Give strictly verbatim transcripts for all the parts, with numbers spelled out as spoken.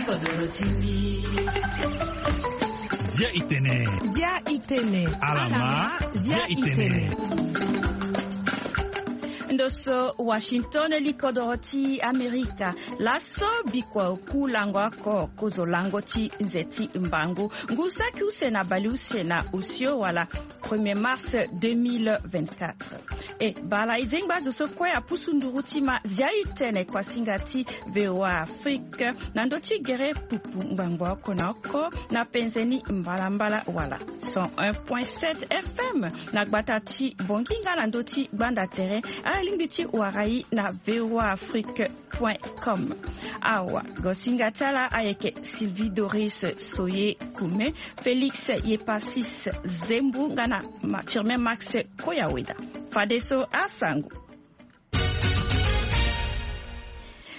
Kodoro ti mbi. Zia itene. Zia itene. Alama. Zia itene. Ndo so Washington, li kodoro ti Amerika. Laso bikua oku lango oko kozo lango ti nze ti mbangu, ngu saki use na baleuse na osio wala premier mars deux mille vingt-quatre. E bala e zengba azo so kue apusu nduru ti ma zia itene kuasinga ti VOA Afrique na ndo ti gere pupu ngbangbo oko na oko na penze ni mbalambala wala cent un point sept F M na gbata ti Bongi nga na ndo ti gbanda tere. Ala lingbi ti wara e na VOA Afrique point com. Awa gosinga ti ala ayeke Sylvie Doris Soye Kume, Félix Yepasis Zembu nga na Ma- Firmin Max Koyaweda. Fadeso asango.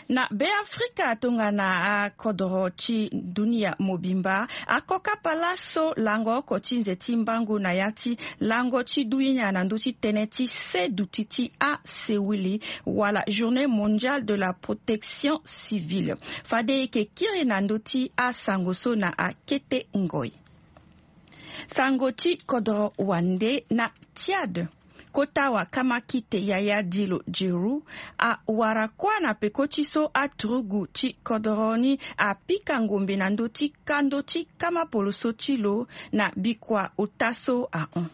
Na Beafrika tongana akodoro ti dunia mobimba, akokapa laso lango oko ti nze ti mbangu na ya ti lango ti dunia na ndö ti tënë ti se duti ti asewili wala Journée mondiale de la protection civile. Fade e yeke kiri na ndö ti asango so na akete ngoi. Sango ti kodoro wande na Tchad. Kota wakamakite Yaya Dilo Djeru awara kuâ na peko ti so aturugu ti kodoro ni apika ngombe na ndö ti kando ti kamapoloso ti lo na bikua ota so ahon.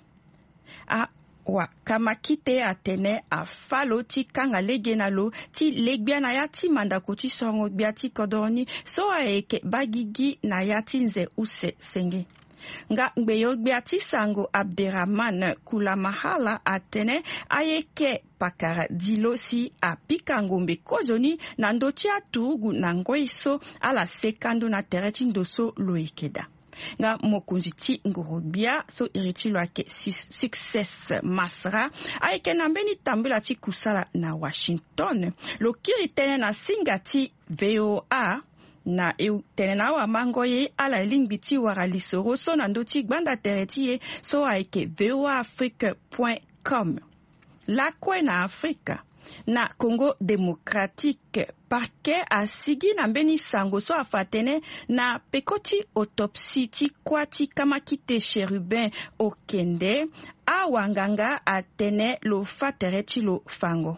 Awakamakite atene afâ lo ti kanga lege na lo ti le gbia na ya ti mandako ti sorongo gbia ti kodoro ni so ayeke baa gigi na ya ti nze use senge. Nga ngbeyo-gbia ti sango Abderrahmane Koulamahala atene ayeke pakara Dilo si apika ngombe kozoni na ndö ti aturugu na ngoi so ala seka ndo na tere ti ndo so lo yeke daa. Nga mokonzi ti ngoro-gbia so iri ti lo ayeke Su- Success Masra ayeke na mbeni tambula ti kusala na Washington. Lo kiri tënë na singa ti VOA. Na e tene na awamango ye ala lingbi ti wara lisoro so na ndö ti gbanda tere ti e so ayeke VOA Afrique point com. Lakue na Afrika, na Congo Démocratique, parquet asigi na mbeni sango so afa atene na peko ti autopsie ti kuâ ti kamakite Chérubin Okende, awanganga atene lo fâ tere ti lo fango.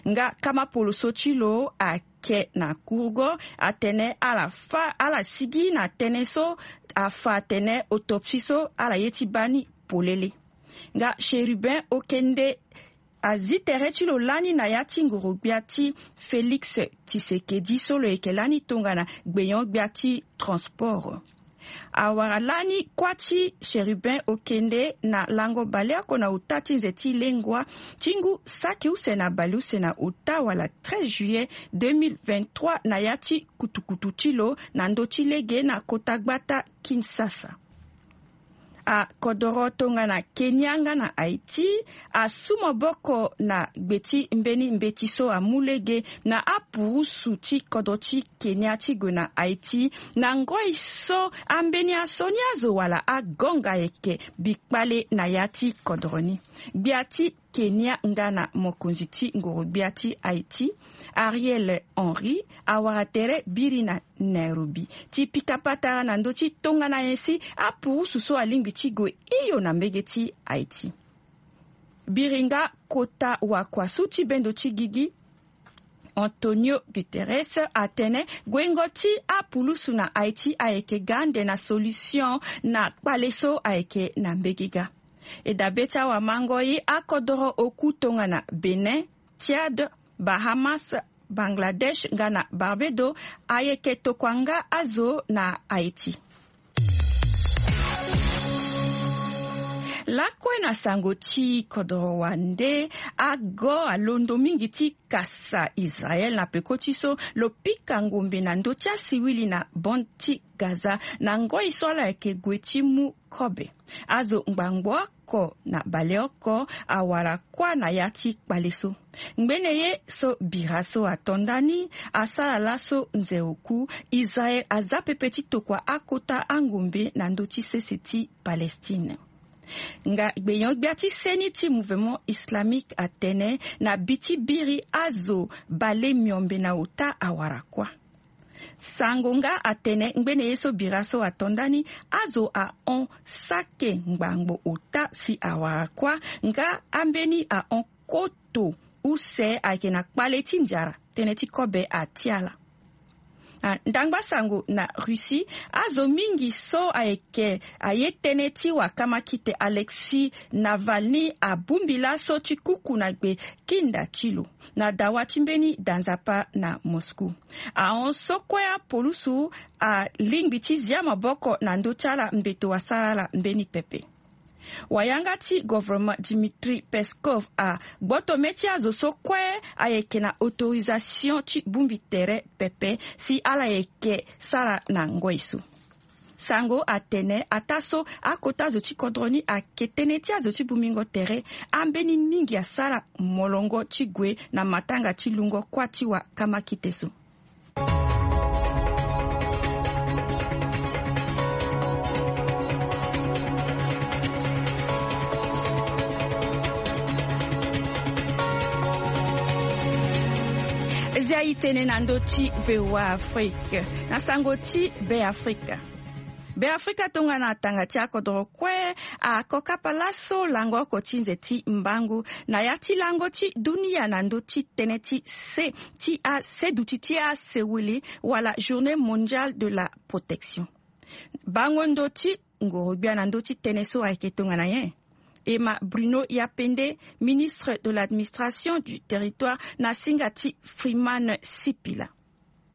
Nga kamapoloso ti lo ake na kurgo atene ala fâ ala sigi na tënë so afa atene autopsie so ala ye ti baa ni polele. Nga Chérubin Okende azi tere ti lo lani na ya ti ngoro-gbia ti Félix Tshisekedi so lo yeke lani tongana gbenyo-gbia ti transport. Awara lani kuâ ti Chérubin Okende na lango baleoko na ota ti nze ti lengua ti ngu saki use na baleuse na ota wala treize juillet deux mille vingt-trois na ya ti kutukutu ti lo na ndö ti lege na kota gbata Kinshasa. Akodoro tongana Kenya nga na Haïti asu maboko na gbe ti mbeni mbeti so amu lege na apurusu ti kodro ti Kenya ti gue na Haïti na ngoi so ambeni asioni azo wala agonga ayeke bikpale na ya ti kodro ni. Gbia ti Kenya nga na mokonzi ti ngoro-gbia ti Haïti, Ariel Henry, awara tere biri na Nairobi ti pika patara na ndö ti tongana nyen si apurusu so alingbi ti gue hio na mbege ti Haïti. Biri nga kota wakuasu ti bendo ti gigi, Antonio Guterres atene guengo ti apurusu na Haïti ayeke ga ande na solution na kpale so ayeke na mbege ga. E dabe ti awamango ye akodoro oku tongana Bénin, Tchad, Bahamas, Bangladesh nga na Barbados ayeke tokua nga azo na Haïti. Lakue na sango ti kodoro wande, ago alondo mingi ti kasa Israel na peko ti so lo pika ngombe na ndö ti asiwili na bande ti Gaza na ngoi so ala yeke gue ti mu kobe. Azo ngbangbo oko na baleoko awara kuâ na ya ti kpale so. Ngbene ye so bira so ato ndani asara laso nze oku, Israel aza pepe ti tokua akota angombe na ndö ti sese ti Palestine. Nga gbenyo-gbia ti seni ti Mouvement Islamique atene na bi ti biri azo bale miombe na ota awara kuâ. Sango nga atene ngbene ye so bira so ato ndani, azo ahon sake ngbangbo ota si awara kuâ, nga ambeni ahon koto use ayeke na kpale ti nzara tënë ti kobe ati ala. Ndangba sango na Russie, azo mingi so ayeke aye tënë ti wakama kite Alexis Navalny abongbi laso ti kuku na gbe kinda ti lo na dawa ti mbeni danzapa na Moscou. Ahon so kue apolusu alingbi ti zia maboko na ndö ti ala mbeto asara ala mbeni pepe. Wayanga ti governement Dmitry Peskov agboto mê ti azo so kue ayeke na autorisation ti bongbi tere pepe si ala yeke sara na ngoi so. Sango atene ataa so akota zo ti kodro ni ayeke tënë ti azo ti bongbingo tere, ambeni mingi asara molongo ti gue na matanga ti lungo kuâ ti wakama kite so. Zia itene na ndö ti VOA Afrique na sango ti Be Afrika. Be Afrika tongana tanga ti akodoro kue akokapa laso lango oko ti nze ti mbangu na ya ti lango ti dunia na ndö ti tënë ti se ti ase duti ti asewili wala Journée Mondiale de la Protection. Bango ndö ti ngoro-gbia na ndö ti tënë so ayeke tongana nyen? E ma Bruno Yapende, ministre de l'administration du territoire, na singa ti Freeman Sipila.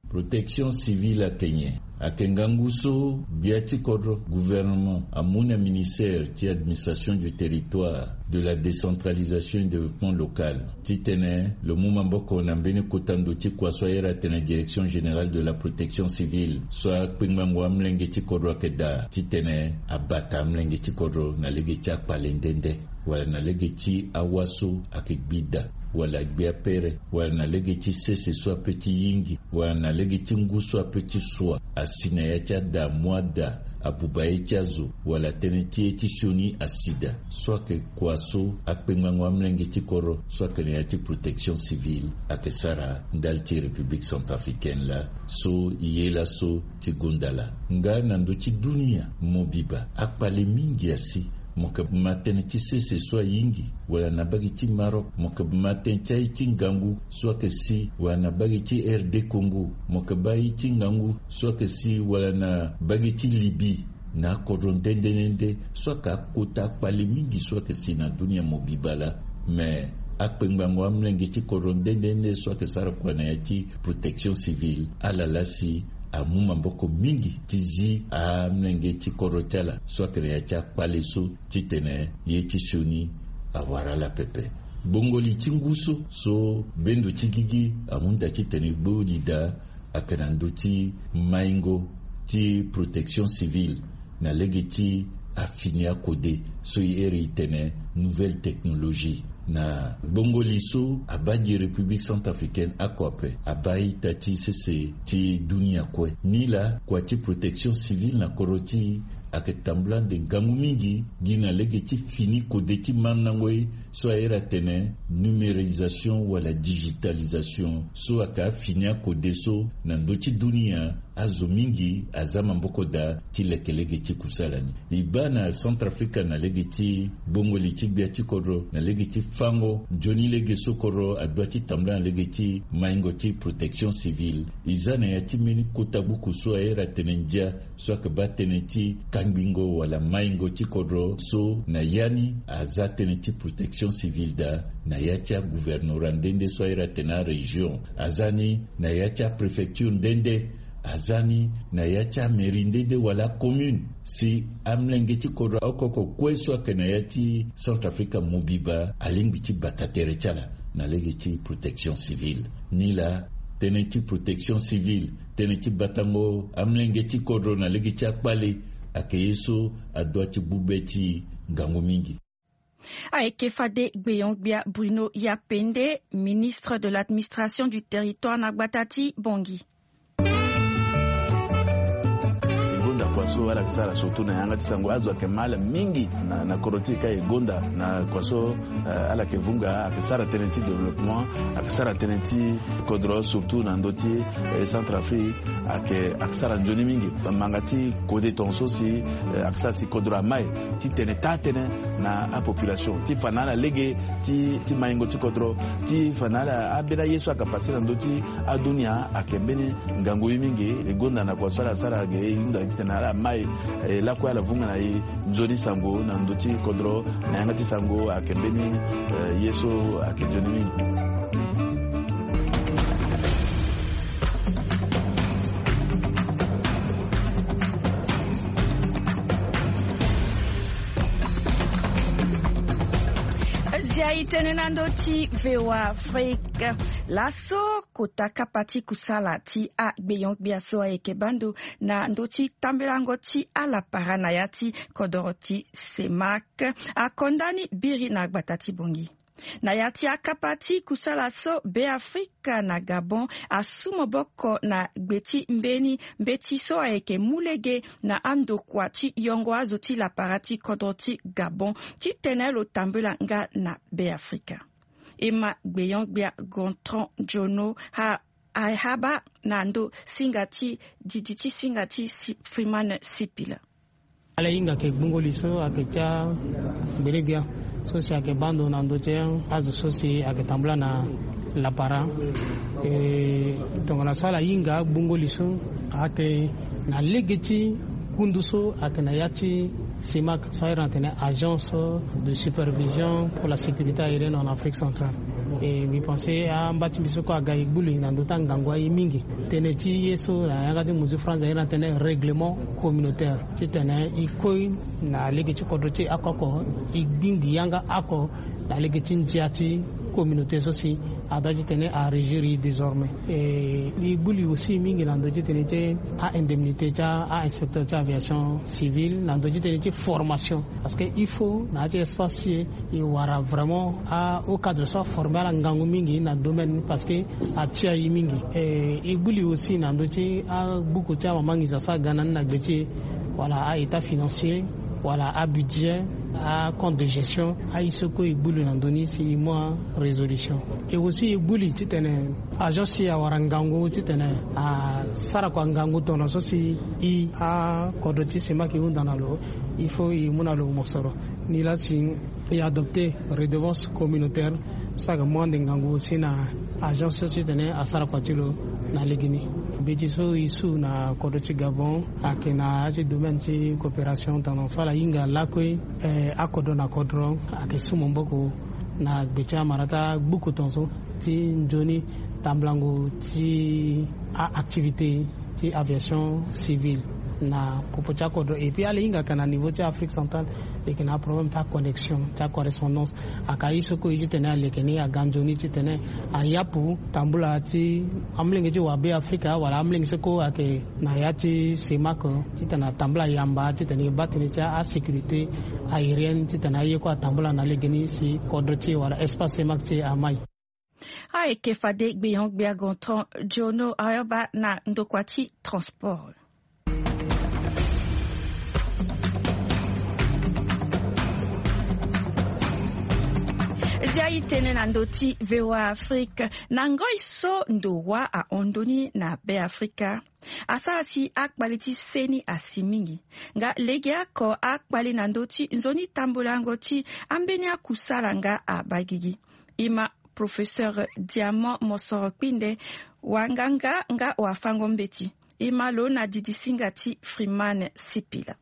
Protection civile ayeke nyen? Ayeke ngangu so gbia ti kodro, gouvernement, amu na ministère ti administration du territoire, de la décentralisation et développement local, titene lo mu maboko na mbeni kota ndo ti kua so ayere atene Direction générale de la protection civile, so akpengbango amolenge ti kodro ayeke daa titene abata amolenge ti kodro na lege ti akpale nde nde, wala na lege ti awa so ayeke gbi daa, wala gbia pere, wala na lege ti sese so ape ti yingi, wala na lege ti ngu so ape ti sua, asi na ya ti ada amu ada abuba ye ti azo, wala tënë ti ye ti sioni asi daa. So ayeke kua so akpengbango amolenge ti kodro so ayeke na ya ti protection civile ayeke sara ndali ti République centrafricaine laa, so e ye laso ti gonda laa. Nga na ndö ti dunia mobiba, akpale mingi asi. Mo yeke ma tënë ti sese so ayingi, wala na mbage ti Maroc, mo yeke ma tënë ti aye ti ngangu so ayeke si, wala na mbage ti R D Congo, mo yeke baa aye ti ngangu so ayeke si, wala na mbage ti Libye. Na akodro nde nde nde nde so ayeke akota akpale mingi so ayeke si na dunia mobiba laa. Me akpengbango amolenge ti kodro nde nde nde so ayeke sara kua na ya ti protection civile, ala laa si amu maboko mingi ti zi amolenge ti kodro ti ala so ayeke na ya ti akpale so, titene ye ti sioni awara ala pepe. Gbongoli ti ngu so, so bendo ti gigi amu nda titene e gbo li daa, ayeke na ndö ti maingo ti protection civile na lege ti afini akode so e here e tene nouvelle technologie. Na gbongoli so abaa gi République centrafricaine oko ape, abaa ita ti sese ti dunia kue. Nilaa kua ti protection civile na kodro ti e ayeke tambula ande ngangu mingi gi na lege ti fini kode ti mandango ye so ahere atene numérisation wala digitalisation, so ayeke afini akode so na ndö ti dunia azo mingi aza maboko daa ti leke lege ti kusala ni. E baa na Centrafrique na lege ti gbongoli ti gbia ti kodro, na lege ti fango nzoni lege so kodro adoit ti tambula na lege ti maingo ti protection civile. E za na ya ti mbeni kota buku so ahere atene ndia, so ayeke baa tënë ti kangbingo wala maingo ti kodro so na ya ni aza tënë ti protection civile daa na ya ti agouvernorat nde nde so ahere atene arégion, aza ni na ya ti apréfecture nde nde, aza ni na ya ti amairie nde nde wala acommune. Si amolenge ti kodro oko oko kue so ayeke na ya ti Centrafrique mobiba alingbi ti bata tere ti ala na lege ti protection civile. Nilaa tënë ti protection civile, tënë ti batango amolenge ti kodro na lege ti akpale, ayeke ye so adoit ti gbu be ti ngangu mingi. Ayeke fade gbeon-gbia Bruno Yapende, ministre de l'administration du territoire na gbata ti Bangui. E gonda Kua so ala yeke sara surtout na yanga ti sango, azo ayeke ma ala mingi na, na kodro ti e ka e gonda na kua so, eh, ala yeke vunga, ayeke sara tënë ti développement, ayeke sara tënë ti kodro surtout na ndö ti, eh, Centrafrique, ayeke, ayeke sara nzoni mingi. Manga ti kode tongaso si, eh, ayeke sara si kodro amai ti tene taa tënë na apopulation ti fa na ala lege ti, ti maingo ti kodro, ti fa na ala ambeni aye so ayeke pase na ndö ti adunia ayeke mbeni ngangu ye mingi. E gonda na kua so ala sara ge e hunda titene ala mai, eh, lakue ala vunga na e nzoni sango na ndö ti kodro na yanga ti sango ayeke mbeni, eh, ye so ayeke nzoni mingi. Zia e tene na ndö ti V O A Afrique. Laso kota kapa ti kusala ti agbenyo-gbia so ayeke baa ndo na ndö ti tambelango ti alapara na ya ti kodoro ti CEMAC akonda ni biri na gbata ti Bangui. Na ya ti akapa ti kusala so, Beafrika na Gabon asu maboko na gbe ti mbeni mbeti so ayeke mu lege na andokua ti yongo azo ti lapara ti kodro ti Gabon titene lo tambula nga na Beafrika. E ma gbenyo-gbia Gontran Jono ha, ahaba na ndo singa ti didi ti singa ti si, Freeman Sipila. Ala hinga ayeke gbungo li so ayeke ti angbene-gbia so si ayeke baa ndo na ndö ti azo so si ayeke tambula na lapara. E, tongana so ala hinga gbungo li so ayeke na lege ti kundu so ayeke na ya ti CEMAC so ahiri na tene Agence de Supervision pour la Sécurité Aérienne en Afrique Centrale. E mbi pense amba ti mbi so kue aga e gbu li na ndö ti angangu aye mingi. Tënë ti ye so na yanga ti muzu France ahiri na tene règlement communautaire titene e koi na lege ti kodro ti e oko oko, e gbingbi yanga oko na lege ti ndia ti communauté so si adoit titene arégir e désormais. E, e gbu li aussi mingi na ndö ti tënë ti a-indemnité ti a-inspecteur ti aviation civile na ndö ti tënë ti formation. Parce que il faut na ya ti espace ti e, e wara vraiment a-haut cadre so aforme ala ngangu mingi na domaine ni parce que atia e mingi. E, e gbu li aussi na ndö ti abuku ti amama nginza so aga na ni na gbe ti e, wala a-état financier, wala abudget, acompte de gestion, aye so kue e gbu li na ndö ni si e mu arésolution. E aussi e gbu li titene agence si awara ngangu titene asara kua ngangu tongaso si e akodro ti CEMAC e hunda na lo, il faut e mu na lo mosoro. Nilaa si e adopter redevance communautaire so ayeke mu ande ngangu aussi na agence so titene asara kua ti lo na legeni. Mbeti so e su na kodro ti Gabon ayeke na ya ti domaine ti coopération tongaso ala hinga lakue, eh, akodro na kodro ayeke su maboko na gbe ti amara ti agbuku tongaso ti nzoni tambulango ti a-activité ti aviation civile na popo ti akodro. Et puis ala hinga ka na niveau ti Afrique centrale, e yeke na aproblème ti aconnexion ti acorrespondance. Aka ye so kue e titene aleke ni aga nzoni titene ayapu tambula ti amolenge ti wa Beafrika wala amolenge so kue ayeke na ya ti CEMAC titene atambula yamba titene e baa tënë ti asécurité aérienne titene aye kue atambula na legeni si kodro ti e wala espace CEMAC ti e amai. Ayeke fade gbenyo-gbia Gontran Jono ayamba na ndokua ti transport. Zia e tene na ndö ti V O A Afrique na ngoi so ndo wa ahon ndoni na Beafrika asara si akpale ti seni asi mingi. Nga legeoko akpale na ndö ti nzoni tambulango ti ambeni akusala nga abagigi. E ma Professeur Diamant Mosoro Kpinde, wanganga nga wafango-mbeti. E ma lo na didisinga ti Freeman Sipila.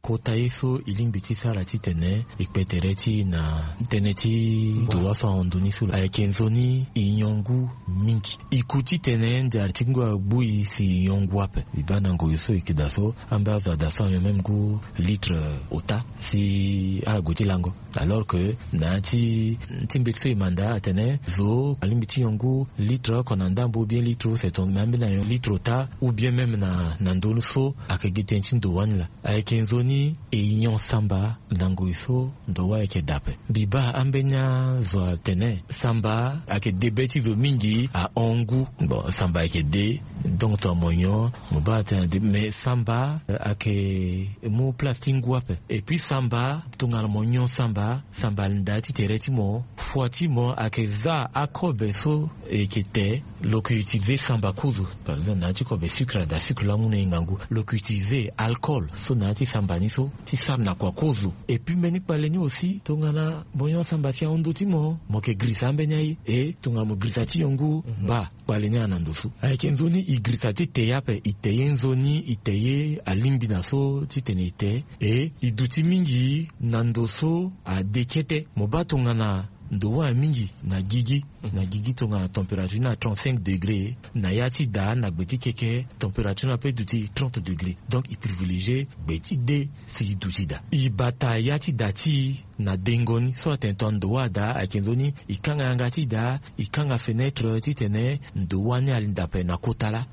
Kota ye so e lingbi ti sara titene e kpe tere ti e na tënë ti ndo wa so ahon ndoni so ayeke nzoni e nyon ngu mingi. E ku titene nzara ti ngu agbu e si e nyon ngu ape. E baa na ngoi so e yeke daa so ambeni azo adaa so anyon même ngu litre ota si ala gue ti lango. Alors que na ya ti, ti mbeti so e manda atene zo alingbi ti nyon ngu litre oko na ndambo ou bien litre use tongana ambeni anyon litre ota ou bien même na, na ndö so ayeke gi tënë ti ndo wani laa. Ayeke nzoni e nyon samba na ngoi so ndo wa ayeke daa ape. Mbi baa ambeni azo atene samba ayeke de be ti zo mingi ahon ngu. Bon, samba ayeke de Donc tongana mo nyon, mo baa atene ade. Mais samba ayeke mu place ti ngu ape. Et puis samba, tongana mo nyon samba, samba alinda ti tere ti mo, foi ti mo ayeke za akobe so e yeke te. Lo yeke utilize samba kozo. Par exemple na ya ti kobe sucre, ada sucre laa amu na e ngangu, lo yeke utilize alcool so na ya ti samba ni so ti sara na kua kozo. Et puis mbeni kpale ni aussi, tongana mo nyon samba si ahon ndö ti mo, mo yeke girisa ambeni aye. E tongana mo girisa ti nyon ngu, baa kpale ni ana ndo so. Ayeke nzoni e girisa ti te ye ape, e te ye nzoni, e te ye alingbi na so titene e te. E e duti mingi na ndo so ade kete. Mo baa tongana ndo wâ mingi na gigi, na gigi tongana température ni na trente-cinq degrés, na ya ti da na gbe ti keke température ni ape duti trente degrés. Donc e privilégier gbe ti de si e duti da. E bata ya ti da ti e na dengo ni. So atene tongana ndo wâ ada, ayeke nzoni e kanga yanga ti da, e kanga fenêtre titene ndo wâ ni alinda ape na kota laa.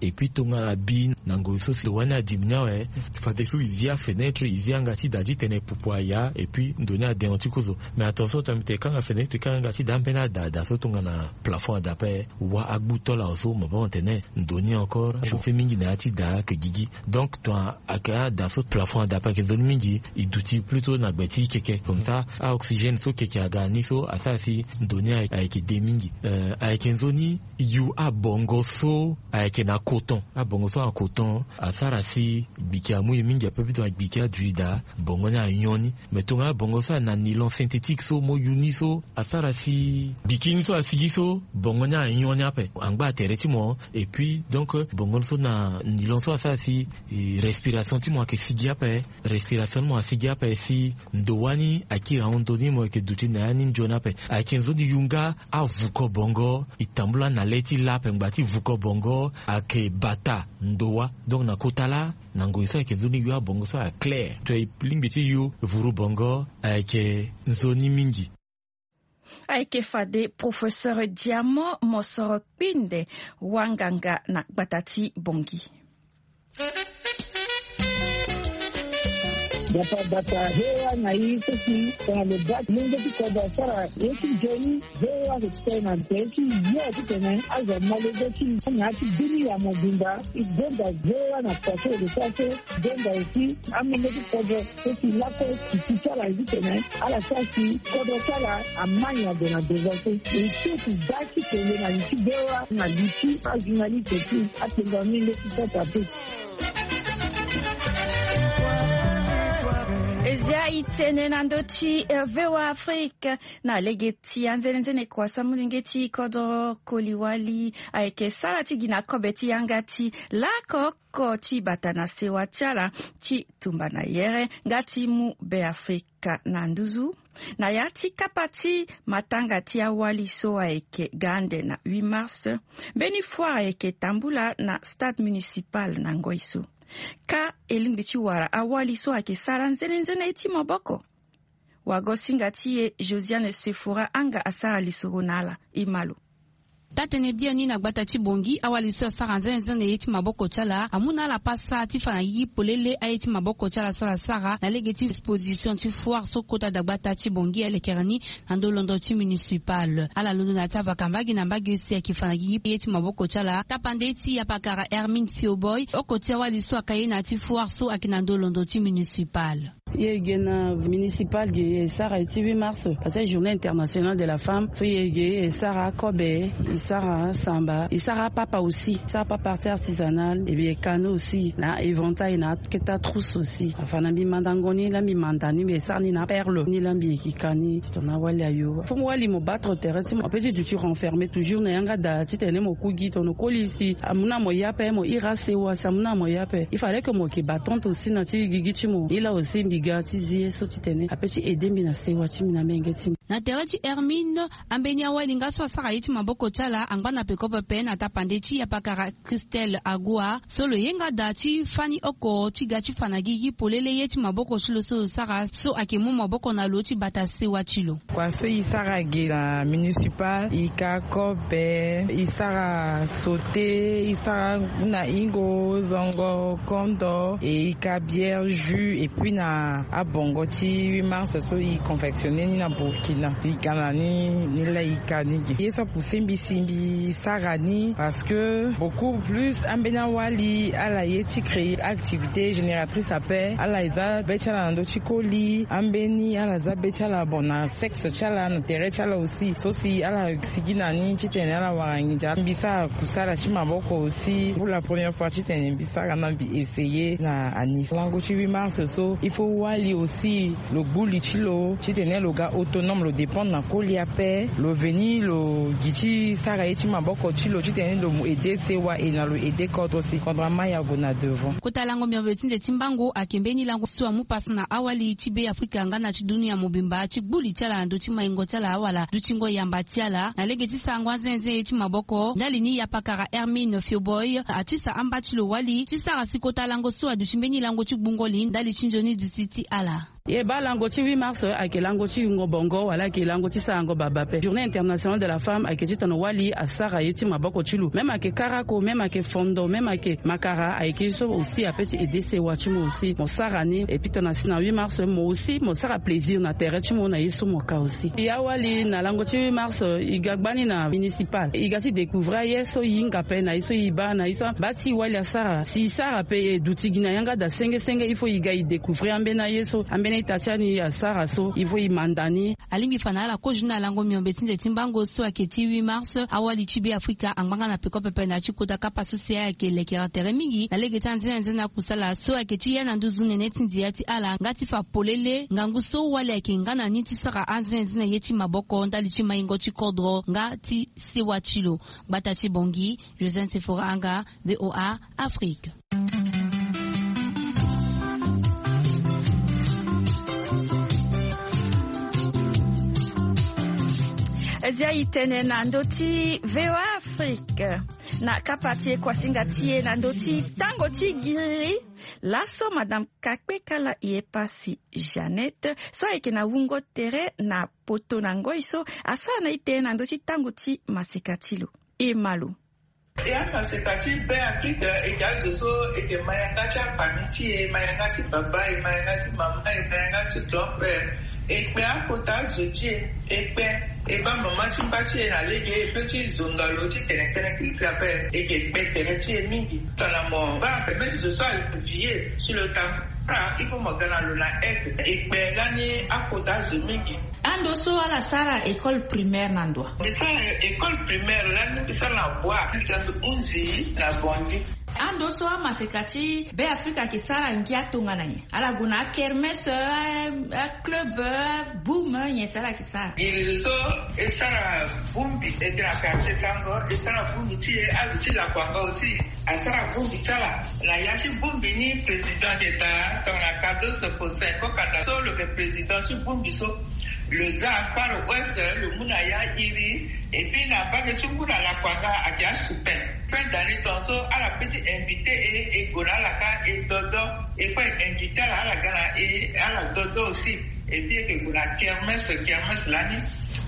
Et puis tongana bi na ngoi so si ndo wâ ni adimini awe, fadeso e zi afenêtre, e zi yanga ti da titene pupu aya, et puis ndo ni adengo ti kozo. Mais attention, tongana mbi tene e kanga fenêtre, e kanga yanga ti da ambeni ada, ada so tongana plafond ada ape, wâ agbu tol awe so, mo baa mo tene ndo ni encore achauffer mingi na ya ti da ayeke gigi. Donc tongana ayeke ada so plafond ada ape ayeke nzoni mingi, e duti plutôt na gbe ti keke. Comme ça aoxygène so keke aga na ni so asara si ndo ni ayeke de mingi. Euh, ayeke nzoni yu abongo so ayeke na coton. Abongo so na coton asara si gbiki amu e mingi ape, plutôt na gbiki aduti da, bongo ni anyon ni. Mais tongana abongo so ayeke na nylon synthétique so mo yu ni so, asara si gbiki ni so asigi so, bongo ni anyon ni ape, angba tere ti mo. Et puis donc bongo ni so na nylon so asara si, eh, respiration ti mo ayeke sigi ape. Respiration ti mo asigi ape si ndo wâ ni akiri ahon ndo ni, mo yeke duti na ya ni nzoni ape. Ayeke nzoni yu nga avuko bongo, e tambula na le ti la ape ngbanga ti vuko bongo ayeke bata ndo wâ. Donc na kota laa, na ngoi so ayeke nzoni yu abongo so aclair. Tongana e lingbi ti yu vuru bongo, ayeke nzoni mingi. Ayeke fade professeur Diamant Mosoro Kpinde, wanganga na gbata ti Bangui. Bata bata, V O A na e so si tongana lo baa molenge ti kodro asara ye ti nzoni, V O A ayeke tene na tere ti yo titene azo malege ti na ya ti bini ya mobimba. E gonda V O A na kua so e lo sara so, gonda aussi amolenge ti kodro so si lakue si ti ti ala ye titene ala sara si kodro ti ala ama nyen ague na devant so. E so si da ti kele na li ti V O A na li ti ajournaliste ti akpengba mingi ti sasa te. E zia e tene na ndö ti, eh, V O A Afrique na lege ti anzenenzene kua so amolenge ti kodro koli wali ayeke sara ti gi na kobe ti yanga ti lako oko ti bata na sewa ti ala ti tumba na yere nga ti mu Beafrika na nduzu. Na ya ti kapa ti matanga ti awali so ayeke ga ande na huit mars, mbeni foire ayeke tambula na stade municipal na ngoi so. Ka e lingbi ti wara awali so ayeke sara nzenenzene ye ti maboko. Wagosinga ti e Josiane Sefora Anga asara lisoro na ala. E ma lo. Taa-tënë biani na gbata ti Bangui, awali so asara nzenenzene ye ti maboko ti ala amu na ala pasa ti fa na gigi polele aye ti maboko ti ala so ala sara na lege ti exposition ti foire so kota dagbata ti Bangui alekere ni na ndö londo ti municipal. Ala londo na ya ti abaka mbage na mbage si ayeke fa na gigi ye ti maboko ti ala. Tapande ti apakara Hermine Fioboy, oko ti awali so aka ye na ya ti foire so ayeke na ndö londo ti municipal. Ye ge na municipal ge e sara ye ti huit mars, parce que journée internationale de la femme. So ye ge e sara akobe, e sara samba, e sara apapa aussi, e sara apapa ti artisanal, et bien e ka ni aussi na éventail na akete atrousse aussi. Afa na mbi mandango ni laa mbi manda ni, mbi e sara ni na perle ni laa mbi yeke ka ni titene awali ayo. Fo mo wali mo battre tere ti mo ape ti duti renfermer toujours na yanga da titene mo ku gi tongana koli si amu na mo ye ape mo iri asewa si amu na mo ye ape. Il fallait que mo yeke battante aussi na ti gigi ti mo. Ni laa aussi mbi ga ti zi ye so titene ape ti aider mbi na sewa ti mbi na menge ti mbi. Na tere ti Hermine, ambeni awali nga so asara ye ti maboko ti ala angba na peko pepe na tapande ti apakara Christelle Agua so lo ye nga da ti fani oko ti ga ti fa na gigi polele ye ti maboko ti lo so lo sara so ayeke mu maboko na lo ti bata sewa ti lo. Kua so e sara ge na municipal, e ka kobe, e sara sauté, e sara na hingo, zongo, kondo, e e ka bière, jus, et puis na Abongo ti huit mars so e confectionner ni na Burkina, e ga na ni ni lai ka ni ge. Ye so apousse mbi si mbi sara ni parce que beaucoup plus ambeni awali ala ye ti créer activité génératrice ape. Ala eza be ti ala na ndö ti koli, ambeni ala za be ti ala, bon, na sexe ti ala, na tere ti ala aussi. So si ala sigi na ni titene ala wara nginza, mbi sara kusala ti maboko aussi pour la première fois titene mbi sara na mbi essayer na anis. Lango ti huit mars so il faut wali aussi lo gbu li ti lo titene lo ga autonome, lo dépendre na koli ape, lo veni lo gi ti sara ye ti maboko ti lo titene lo mu aider sewa e na lo aider kodro si kodro ama ya gue na devant. Kota lango miombe ti nze ti mbango ayeke mbeni lango so amu pasa na awali ti Be Afrika nga na ti dunia mobimba ti gbu li ti ala na ndö ti maingo ti ala awala dutingo yamba ti ala na lege ti sarango anzenze ye ti maboko. Ndali ni yapakara Hermine Fioboy atisa amba ti lo wali ti sara si kota lango so aduti mbeni lango ti gbungo li ndali ti nzoni duti ti ala. Ye baa lango ti huit mars ayeke lango ti yungo bongo wala ayeke lango ti sarango baba ape. Journée internationale de la femme ayeke ti tongana wali asara ye ti maboko ti lo. Même ayeke karako, même ayeke fondo, même ayeke makara, ayeke ye so aussi ape ti aider sewa ti mo aussi mo sara ni. Et puis tongana si na huit mars mo aussi mo sara plaisir na tere ti mo na ye so mo ka aussi. Ya wali na lango ti huit mars e ga gbani na municipal, e ga ti découvrir aye so e hinga ape na ye so e baa na ye so abaa ti e wali asara. Si e sara ape e duti gi na yanga daa senge senge, il faut e ga e découvrir ambeni aye so ambeni ita ti ani asara so il faut e manda ni. Alingbi fa na ala kozo ni na lango miombe ti nze ti mbango so ayeke ti huit mars. Awali ti Be Afrika angbanga na peko pepe na ya ti kota kapa so si ayeke lekere tere mingi na lege ti anzenanzena kusala so ayeke ti ya na nduzu nene ti ndia ti ala nga ti fa polele ngangu so wali ayeke nga na ni ti sara anzenanzena ye ti maboko ndali ti maingo ti kodro nga ti sewa ti lo. Gbata ti Bangui, Josène Sephora Anga, V O A Afrique. Zia e tene na ndö ti V O A Afrique. Na kapa ti e kuasinga ti e na ndö ti tango ti giriri. Laso madame Kakpekala Yepasi Jeannette so ayeke na wungo tere na poto na ngoi so asara na e tene na ndö ti tango ti maseka ti lo. E ma lo. E amaseka ti Be Afrika e ga zo so e ke ma yanga ti afami ti e, ma yanga ti baba e, ma yanga ti mama e, ma yanga ti grand frère. E kpe akota zo ti e, e kpe e baa mama ti mba ti e na lege e pe ti zonga lo ti tene tënë kirikiri ape. E ke kpe tere ti e mingi. Tongana mo baa mbeni zo so aye vie si lo tambula, il faut mo ga na lo na aide. E kpe lani akota zo mingi. Ando so ala sara école primaire na ndo? Mbi sara école primaire lani mbi sara na Bwa, mbi ga mbi hunzi na Bondy. Ando so amaseka ti Be Afrika ayeke sara ngia tongana nyen? Ala gue na akermesse, a, a club, a boum, nyen so ala yeke sara? Iri so e sara bongbi, e ke na quartier Sango, e sara bongbi ti e, azo ti Lakuanga aussi asara bongbi ti ala. Na ya ti bongbi ni président ayeke daa tongana Cardozo Faustin Kokanda so lo yeke président ti bongbi so. Lo za Far West, lo mu na ya iri. Et puis na mbage ti ngu na Lakuanga ayeke asuspend. Fin d'année tongaso ala pe ti invité e, e gue na ala kâ e dodo. E kue e invité ala, ala ga na e, ala dodo aussi. Et puis e ke gue na kermesse, kermesse lani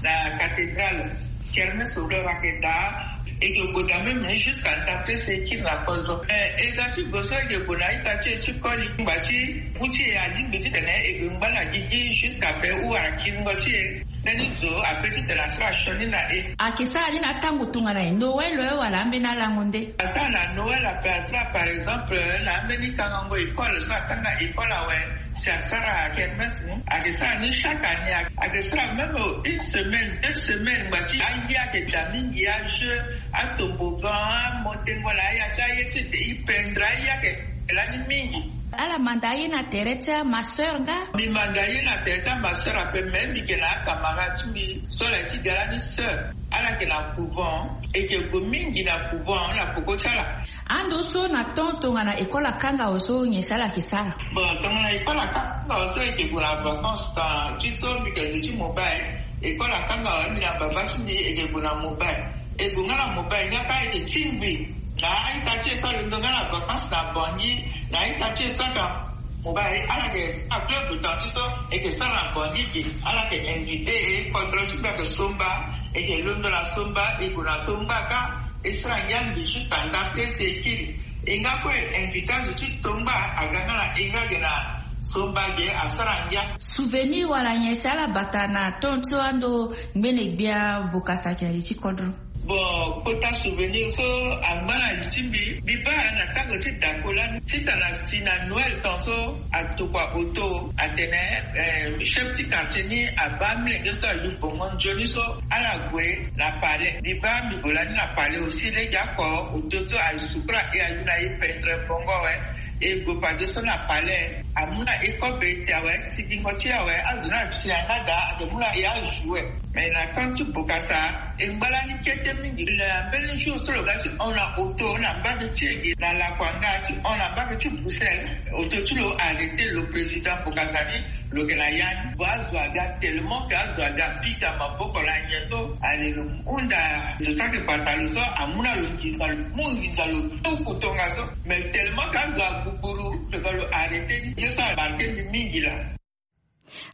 na cathédrale. Kermesse lo ayeke daa. E ke gue daa même jusqu'à ndapre si e kiri na kozo. Eh, e ga ti gue so e ke gue na ita ti e ti koli ngba ti mu ti e alingbi titene e gue ngba na gigi jusqu'à pe ou akingo ti e. Mbeni zo ape titene asara sioni na e. Ayeke sara ni na tango tongana nyen? Noël wala ambeni alango nde? Asara na Noël ape, asara par exemple na ambeni kangango école so akanga école awe. Si asara kermesse ni, ayeke sara ni chaque année. Ayeke sara même une semaine, deux semaines, ngba ti aye ayeke daa mingi, ajeu, atobogan, amontengo na aya ti aye ti ete e pendre aye ayeke lani mingi. Ala manda aye na tere ti amasseur nga? Mbi manda aye na tere ti amasseur ape, me mbi yeke na acamarade ti mbi so ala ye ti ga lani sœur. Ala yeke na couvent, e yeke gue mingi na couvent na peko ti ala. Ando so na temps tongana école akanga awe so nyen so ala yeke sara? Bon, tongana école akanga awe so e yeke gue na vacances, temps ti so mbi yeke zo ti mobile. École akanga awe, mbi na baba ti mbi e yeke gue na mobile. E gue nga na mobile nga kâ e yeke tingbi na a-ita ti e so alondo nga na vacances na Bangui, na a-ita ti e so aka mobile, ala yeke sara club de temps ti so e yeke sara na Bangui ge. Ala yeke invité e, kodro ti mbi ayeke somba, e yeke londo na somba, e gue na tongba kâ. E sara ngia mbi juste anda place e kiri. E nga kue invité azo ti tongba aga nga na e nga ge na So mbage asara ngia. Souvenir wala nyen si ala bata na temps so ando ngbene gbia bokasa ayeke na li ti kodro? Bon, kota souvenir so angba na li ti mbi, mbi baa na tango ti dako lani titana si na Noël temps so atokua auto atene, eh, chef ti quartier ni abaa amolenge so ayu bongo nzoni so ala gue na palais. Mbi baa mbi gue lani na palais aussi lege oko auto so asukura e ayu na e pendre bongo awe. E gue pade so na palais, amu na e kobe ti awe, sigingo ti awe, azo ni ati na yanga daa, ake mu na e ajoue. Mais na temps ti bokasa, e ngba lani kete mingi. Na mbeni jour so lo ga ti hon na auto na mbage ti e gi na lakuanga ti hon na mbage ti Bruxelles, auto ti lo arrêter lo président bokasa ni. Lo yeke na ya ni, bon, azo aga tellement que azo aga pika maboko na nyen so, ale lo hunda zo ti ake bata lo so, amu na lo nginza, lo mu nginza lo tuku tongaso. Mais tellement que azo aguguru, lo ga lo arrêter ni. Ye so amarquer mbi mingi laa.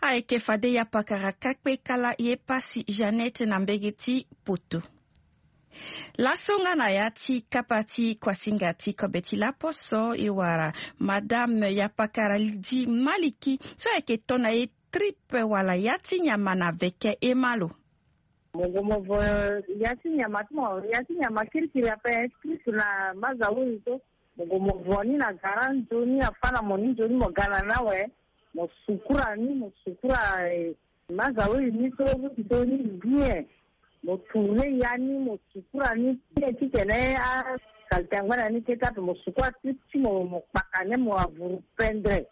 Ayeke fade ya pakara kakpe kala ye pasi Jeannette na mbege ti poto. Laso nga na ya ti kapa ti kuasinga ti kobe ti laposo e wara Madame Yapakara Lydie Maliki so ayeke to na e tripe wala ya ti nyama na veke e ma lo. Mo gue mo vo ya ti nyama ti mo, ya ti nyama kirikiri ape, tripe na maza wiri so. Mo gue mo vo ni na gara nzoni, afâ na mo ni nzoni, mo ga na ni awe. Mo sukura ni, mo sukura, eh, maza wiri ni so, so ni bien. Mo tourner ya ni, mo sukura ni bien titene asalite angba na ni kete ape. Mo sukura ti, ti mo, mo kpaka ni, mo avuru pendre.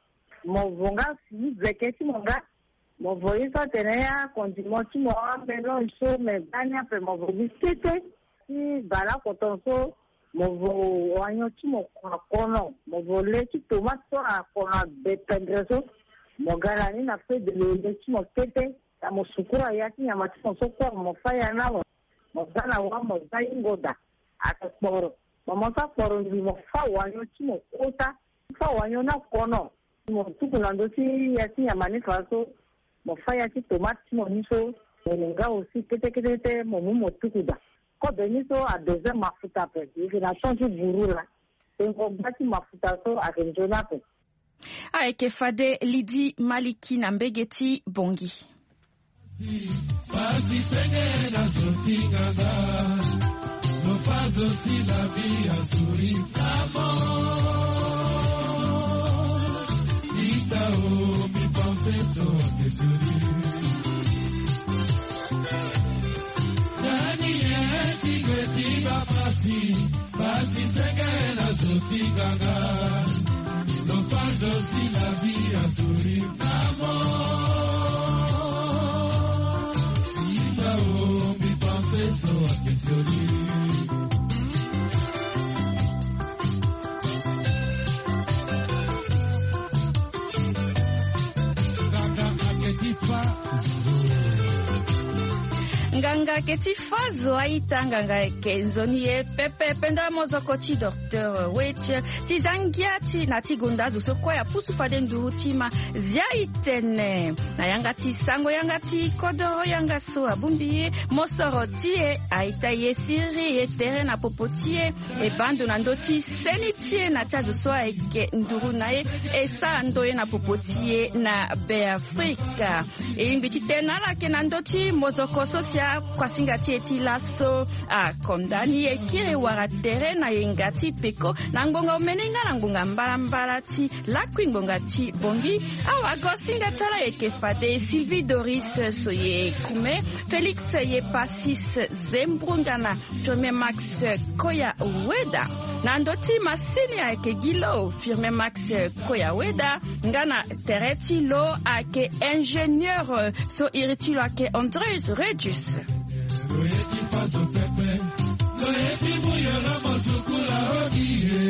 Mo vo nga si veke ti mo nga. Mo vo ye so atene acondiment ti mo, amélange so, me baa ni ape mo vo gi kete. Ti bale oko ton so, mo vo oignon ti mo na kono, mo vo le ti tomate so na kono abe pendre so. Mo ga na ni na feu de le ti mo kete. Ya mo sukura ya ti nyama ti mo so kue, mo fâ ya na mo. Mo za na wa, mo za hingo daa. Ake kporo. Mo, mo sara kporo ngbii, mo fâ oignon ti mo kota. Fâ oignon ni na kono. Mo tuku na ndö ti ya ti nyama ni fa so. Mo fâ ya ti tomate ti mo ni so. Mo nga aussi kete kete kete, mo mu mo tuku daa. Kobe ni so adoze mafuta ape. E yeke na temps ti buru laa. Tengo gba ti mafuta so ayeke nzoni ape. Ayeke fade Lydie Maliki na mbege ti Bangui. Pasi senge na zo ti nganga. Lo fa zo si la vie a souri. Ita o, mi pense so ake souri. Nani ye ti gue ti baa pasi? Pasi senge na zo ti nganga. Lo fa zo si la vie a souri. Ita o, mi pense so ake souri. Nganga ake ti fâ zo a-ita, nganga ake nzoni ye pepe. Penda mozoko ti docteur Wet ti za ngia ti na ti gonda azo so kue apusu fade nduru ti ma zia e tene. Na yanga ti sango yanga ti kodoro yanga so abongbi ye mosoro ti e, a-ita ye siriri ye tere na popo ti e. E baa ndo na ndö ti seni ti e na ti azo so ayeke nduru na e, e sara ndo ye na popo ti e na Beafrika. E lingbi ti tene na ala ayeke na ndö ti mozoko so si akuasinga ti e ti laso akonda ni e kiri wara tere na yenga ti peko na ngbonga omene nga na ngbonga mbalambala ti lakui ngbonga ti Bangui. Awagosinga ti ala ayeke fade Sylvie Doris Soye Kume, Félix Yepasis Zembrungana, Firmin Max Koya Weda. Na ndö ti masini ayeke gi lo Firmin Max Koya Weda, nga na tere ti lo ayeke ingénieur so iri ti lo ayeke Andreus Redus. Lo ye ti fâ zo pepe, lo ye ti mu yoro mo sukula odi ye.